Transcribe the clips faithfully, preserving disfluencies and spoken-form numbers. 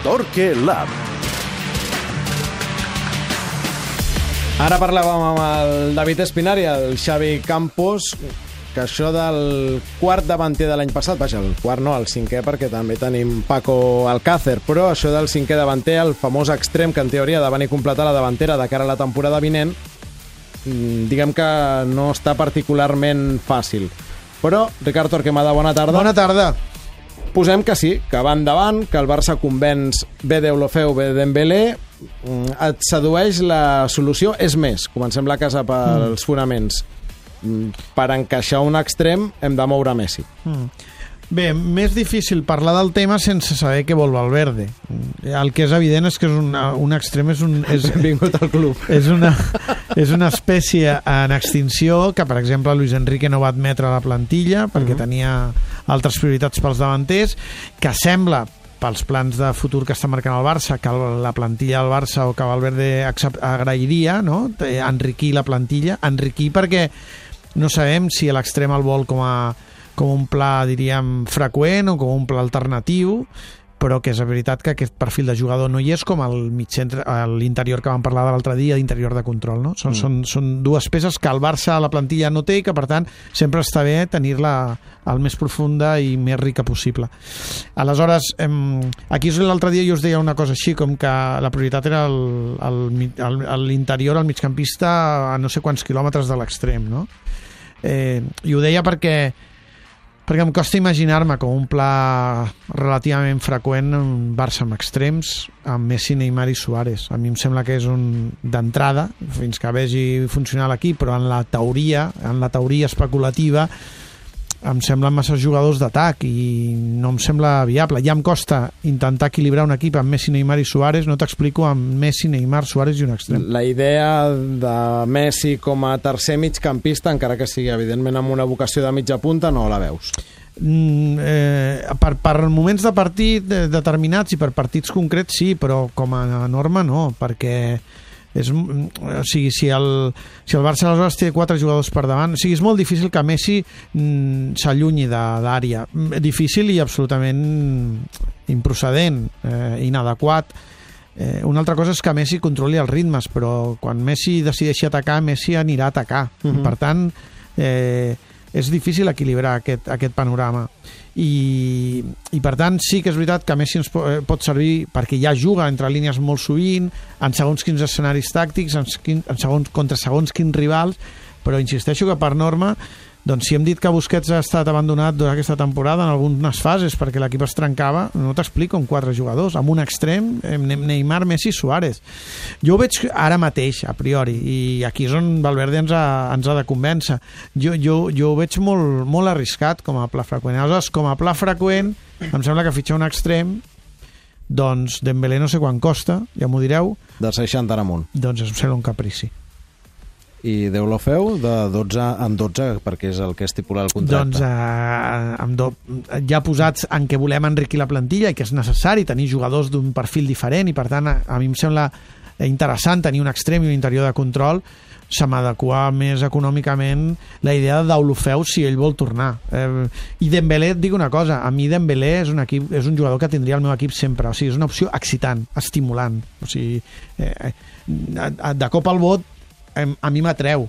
Torque Lab. Ara parlàvem amb el David Espinari, el Xavi Campos, que això del quart davanter de l'any passat, vaja, el quart no, el cinquè, perquè també tenim Paco Alcácer, però això del cinquè davanter, el famós extrem que en teoria ha de venir a completar la davantera de cara a la temporada vinent, diguem que no està particularment fàcil. Però, Ricard Torquemada, bona tarda. Bona tarda. Posem que sí, que va endavant, que el Barça convenç bé d'Eulofeu, bé Dembélé, et sedueix la solució. És més, comencem la casa pels mm. fonaments. Per encaixar un extrem hem de moure Messi. Mm. Bé, més difícil parlar del tema sense saber què vol Valverde. El que és evident és que és una, un extrem és un... És, Benvingut al club. És una, és una espècie en extinció que, per exemple, Luis Enrique no va admetre a la plantilla perquè uh-huh. tenia altres prioritats pels davanters, que sembla, pels plans de futur que està marcant el Barça, que la plantilla del Barça o que Valverde agrairia, no? Enriquir la plantilla. Enriquir perquè no sabem si l'extrem el vol com a com un pla, diríem, freqüent o com un pla alternatiu, però que és veritat que aquest perfil de jugador no hi és com el mitcentre, l'interior que vam parlar de l'altre dia, d'interior de control, no? Són, mm. són, són dues peces que el Barça a la plantilla no té i que, per tant, sempre està bé tenir-la el més profunda i més rica possible. Aleshores, em, aquí l'altre dia jo us deia una cosa així, com que la prioritat era el, el, el, l'interior, el migcampista, a no sé quants quilòmetres de l'extrem, no? Eh, I ho deia perquè perquè em costa imaginar-me com un pla relativament freqüent en Barça amb extrems, amb Messi, Neymar i Suárez. A mi em sembla que és un d'entrada, fins que vegi funcionar l'equip, però en la teoria, en la teoria especulativa, em semblen massa jugadors d'atac i no em sembla viable. Ja em costa intentar equilibrar un equip amb Messi, Neymar i Suárez, no t'explico amb Messi, Neymar, Suárez i un extrem. La idea de Messi com a tercer migcampista, encara que sigui evidentment amb una vocació de mitja punta, no la veus? Mm, eh, per, per moments de partit determinats i per partits concrets sí, però com a norma no, perquè és, o sigui, si el, si el Barça aleshores té quatre jugadors per davant, o sigui, és molt difícil que Messi mm, s'allunyi d'àrea, difícil i absolutament improcedent, eh, inadequat. Eh, una altra cosa és que Messi controli els ritmes, però quan Messi decideixi atacar, Messi anirà a atacar. Uh-huh. Per tant, eh, és difícil equilibrar aquest, aquest panorama. I, i per tant sí que és veritat que Messi ens pot servir perquè ja juga entre línies molt sovint, en segons quins escenaris tàctics, en, en segons, contra segons quins rivals, però insisteixo que per norma, doncs si hem dit que Busquets ha estat abandonat durant aquesta temporada en algunes fases perquè l'equip es trencava, no t'explico, amb quatre jugadors, amb un extrem, Neymar, Messi, Suárez. Jo ho veig ara mateix, a priori, i aquí és on Valverde ens ha, ens ha de convèncer. Jo, jo, jo ho veig molt, molt arriscat com a pla freqüent. Aleshores, com a pla freqüent, em sembla que fitxar un extrem, doncs Dembélé no sé quant costa, ja m'ho direu. De seixanta en amunt. Doncs em sembla un caprici. I Deulofeu de dotze en dotze perquè és el que estipula el contracte. Doncs eh, amb do, ja posats en què volem enriquir la plantilla i que és necessari tenir jugadors d'un perfil diferent i per tant a, a mi em sembla interessant tenir un extrem i un interior de control, se m'adequa més econòmicament la idea de Deulofeu si ell vol tornar. Eh, I Dembélé, et dic una cosa, a mi Dembélé és un, equip, és un jugador que tindria el meu equip sempre, o sigui, és una opció excitant, estimulant, o sigui, eh, de cop al bot a mi m'atreu.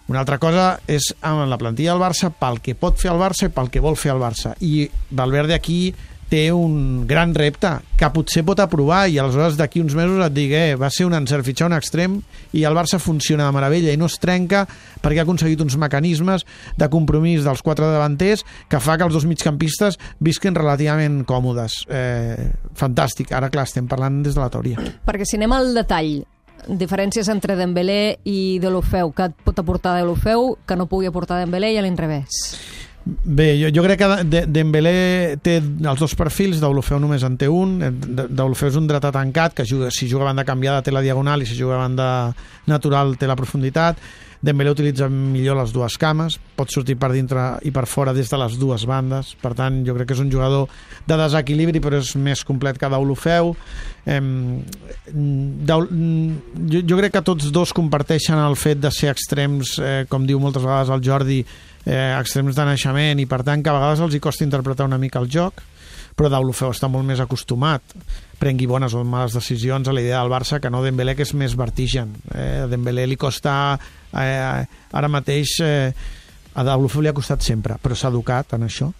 Una altra cosa és amb la plantilla del Barça pel que pot fer el Barça i pel que vol fer el Barça. I Valverde aquí té un gran repte que potser pot aprovar i aleshores d'aquí uns mesos et digui eh, va ser un encert fitxar un extrem i el Barça funciona de meravella i no es trenca perquè ha aconseguit uns mecanismes de compromís dels quatre davanters que fa que els dos migcampistes visquin relativament còmodes. Eh, fantàstic. Ara, clar, estem parlant des de la teoria. Perquè si anem al detall, diferències entre Dembélé i Deulofeu, que et pot aportar Deulofeu que no pugui aportar Dembélé i a l'inrevés? Bé, jo, jo crec que de, Dembélé té els dos perfils, Deulofeu només en té un. Deulofeu és un dretà tancat que juga, si juga a banda canviada té la diagonal i si juga a banda natural té la profunditat. Dembélé utilitza millor les dues cames, pot sortir per dintre i per fora des de les dues bandes, per tant jo crec que és un jugador de desequilibri però és més complet que Deulofeu. Eh, Deul... jo, jo crec que tots dos comparteixen el fet de ser extrems, eh, com diu moltes vegades el Jordi, eh, extrems de naixement i per tant que a vegades els hi costa interpretar una mica el joc, però Deulofeu està molt més acostumat, prengui bones o males decisions a la idea del Barça que no Dembélé, que és més vertigen. Eh, a Dembélé li costa eh, ara mateix eh, a Deulofeu li ha costat sempre, però s'ha educat en això.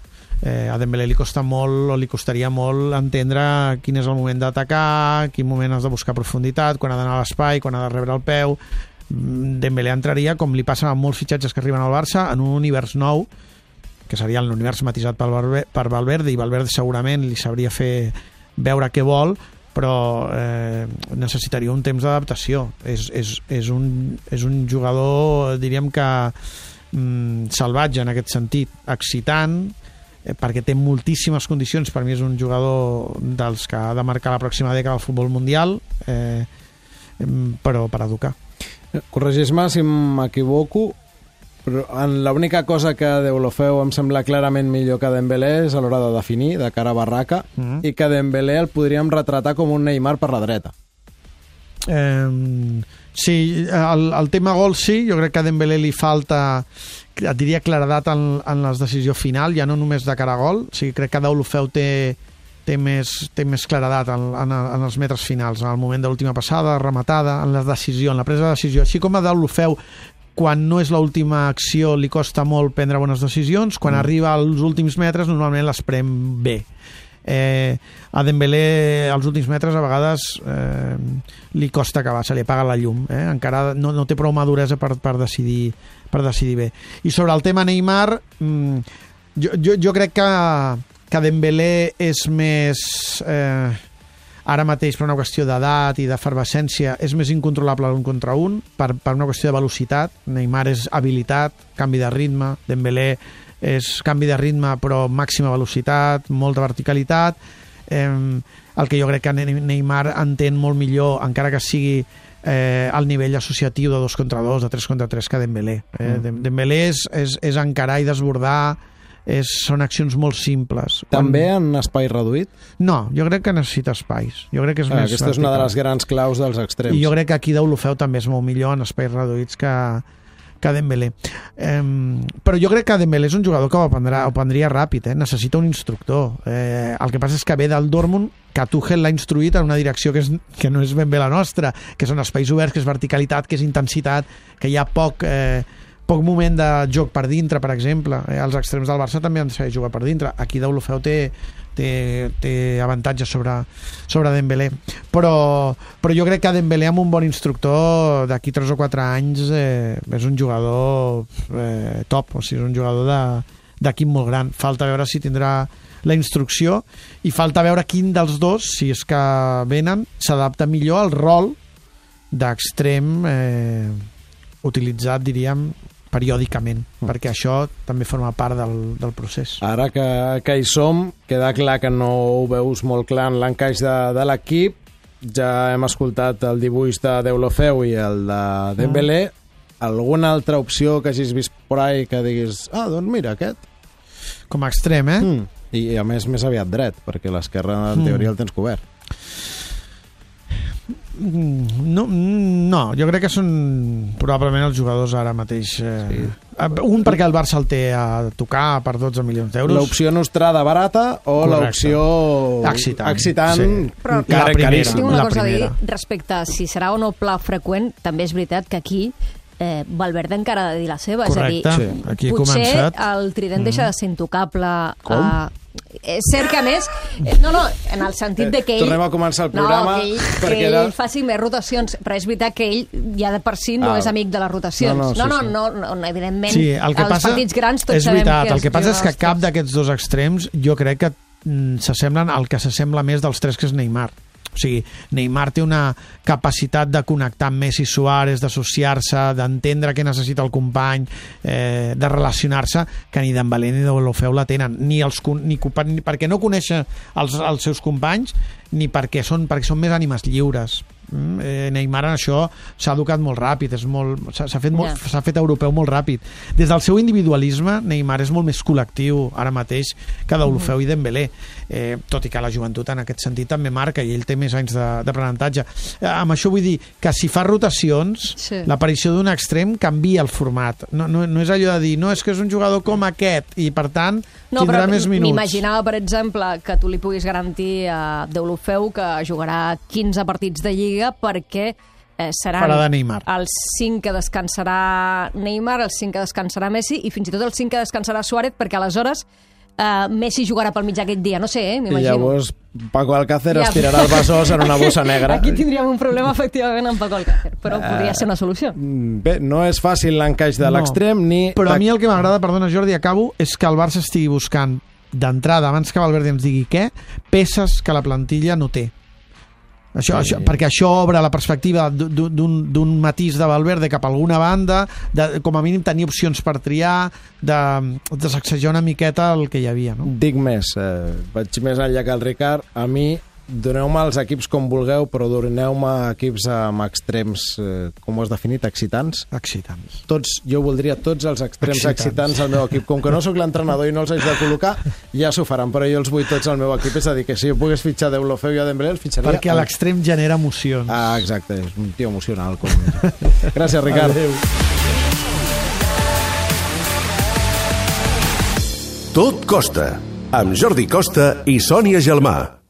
Eh, a Dembélé li costa molt o li costaria molt entendre quin és el moment d'atacar, quin moment has de buscar profunditat, quan ha d'anar a l'espai, quan ha de rebre el peu. Dembélé entraria, com li passa a molts fitxatges que arriben al Barça, en un univers nou, que seria l'univers matisat per Valverde, per Valverde, i Valverde segurament li sabria fer veure què vol, però eh, necessitaria un temps d'adaptació. És, és, és, un, és un jugador, diríem que mm, salvatge en aquest sentit, excitant, perquè té moltíssimes condicions. Per mi és un jugador dels que ha de marcar la pròxima dècada al futbol mundial, eh, però per educar. Corregeix-me si m'equivoco, però l'única cosa que Deulofeu em sembla clarament millor que Dembélé és a l'hora de definir, de cara a barraca, mm-hmm. i que Dembélé el podríem retratar com un Neymar per la dreta. Eh, sí, el, el tema gol sí, jo crec que a Dembélé li falta, et diria, claredat en, en la decisió final, ja no només de cara a gol. O sigui, crec que Deulofeu té, té, més, té més claredat en, en, en els metres finals, en el moment de l'última passada, rematada, en la decisió, en la presa de decisió. Així com a Deulofeu, quan no és l'última acció, li costa molt prendre bones decisions, quan mm. arriba als últims metres normalment les pren bé. Eh, a Dembélé als últims metres a vegades eh, li costa acabar, se li apaga la llum, eh? Encara no, no té prou maduresa per, per, decidir, per decidir bé. I sobre el tema Neymar, mm, jo, jo, jo crec que, que Dembélé és més eh, ara mateix per una qüestió d'edat i d'efervescència és més incontrolable un contra un, per, per una qüestió de velocitat. Neymar és habilitat, canvi de ritme, Dembélé és canvi de ritme però màxima velocitat, molta verticalitat. Eh, el que jo crec que Neymar entén molt millor, encara que sigui eh, al nivell associatiu de dos contra dos, de tres contra tres, que Dembélé. Eh, mm. Dembélé és, és, és encarar i desbordar, és, són accions molt simples. També Quan... en espai reduït? No, jo crec que necessita espais. Jo crec que és ah, més aquesta vertical. És una de les grans claus dels extrems. I jo crec que aquí Deulofeu també és molt millor en espais reduïts que que Dembélé. Eh, però jo crec que Dembélé és un jugador que ho, aprendrà, ho aprendria ràpid, eh? Necessita un instructor. Eh, el que passa és que ve del Dortmund, que Tuchel l'ha instruït en una direcció que, és, que no és ben bé la nostra, que són espais oberts, que és verticalitat, que és intensitat, que hi ha poc, eh, poc moment de joc per dintre, per exemple. Eh, els extrems del Barça també han de saber jugar per dintre. Aquí Deulofeu té té, té avantatge sobre, sobre Dembélé, però, però jo crec que Dembélé amb un bon instructor d'aquí tres o quatre anys eh, és un jugador eh, top, o sigui, és un jugador d'equip molt gran. Falta veure si tindrà la instrucció i falta veure quin dels dos, si és que venen, s'adapta millor al rol d'extrem eh, utilitzat, diríem, periòdicament, mm. perquè això també forma part del, del procés. Ara que, que hi som, queda clar que no ho veus molt clar en l'encaix de, de l'equip. Ja hem escoltat el dibuix de Deulofeu i el de Dembélé. Mm. Alguna altra opció que hagis vist por ahí que diguis, ah, doncs mira, aquest? Com a extrem, eh? Mm. I, I a més, més aviat dret, perquè l'esquerra en teoria mm. el tens cobert. No, no, jo crec que són probablement els jugadors ara mateix eh, sí. Un perquè el Barça el té a tocar per dotze milions d'euros. L'opció nostrada barata o l'opció excitant, excitant sí. Però la primera, tinc una la cosa primera. a dir respecte a si serà o no pla freqüent. També és veritat que aquí eh, Valverde encara ha de dir la seva. Correcte, és a dir, sí. Aquí he potser començat. el trident mm. deixa de ser intocable. Com? A... És cert que a més, no, no, en el sentit de que ell... Tornem a començar el programa. No, que ell, que ell era... faci més rotacions, però és veritat que ell ja de per si no ah. és amic de les rotacions. No, no, sí, no, no, no, no, no, evidentment, sí, el que els passa, partits grans tots és sabem veritat, que el que passa és que cap d'aquests dos extrems jo crec que mm, s'assemblen al que s'assembla més dels tres, que és Neymar. O sigui, Neymar té una capacitat de connectar amb Messi, Suárez, d'associar-se, d'entendre què necessita el company, eh, de relacionar-se, que ni Dembélé ni Deulofeu la tenen, ni, els, ni, ni perquè no coneixen els, els seus companys, ni perquè són, perquè són més ànimes lliures. Eh, Neymar en això s'ha educat molt ràpid, és molt, s'ha, s'ha, fet molt, Yeah. s'ha fet europeu molt ràpid. Des del seu individualisme, Neymar és molt més col·lectiu ara mateix que Deulofeu i Dembélé, eh, tot i que la joventut en aquest sentit també marca i ell té més anys de- d'aprenentatge. Eh, amb això vull dir que si fa rotacions, Sí. l'aparició d'un extrem canvia el format. No, no, no és allò de dir, no, és que és un jugador com aquest i per tant No, tindrà però més minuts. m'imaginava, per exemple, que tu li puguis garantir a Deulofeu que jugarà quinze partits de Lliga perquè eh, seran Farà de Neymar. els cinc que descansarà Neymar, els cinc que descansarà Messi i fins i tot els cinc que descansarà Suárez, perquè aleshores eh, Messi jugarà pel mig aquest dia. No sé, eh? I M'imagino. llavors Paco Alcácer Ja. es tirarà el besòs en una bossa negra. Aquí tindríem un problema, efectivament, amb Paco Alcácer, però podria ser una solució. Bé, no és fàcil l'encaix de No. l'extrem ni... Però a mi el que m'agrada, perdona Jordi, acabo, és que el Barça estigui buscant d'entrada, abans que Valverde ens digui què, peces que la plantilla no té. Això, Sí. això, perquè això obre la perspectiva d'un d'un matís de Valverde cap a alguna banda, de, com a mínim tenir opcions per triar, de, de sacsejar una miqueta el que hi havia. No? Dic més, eh, vaig més enllà que el Ricard. A mi, doneu-me els equips com vulgueu, però doneu-me equips amb extrems, eh, com ho has definit, excitants. Excitants. Tots, jo voldria tots els extrems Excitants. excitants al meu equip. Com que no sóc l'entrenador i no els haig de col·locar, ja s'ho faran, però jo els vull tots al meu equip. És a dir, que si jo pogués fitxar Deulofeu i a Dembélé, el fitxaria... Perquè a l'extrem genera emocions. Ah, exacte, és un tio emocional. Com... Gràcies, Ricard. Adéu. Tot Costa, amb Jordi Costa i Sònia Gelmà.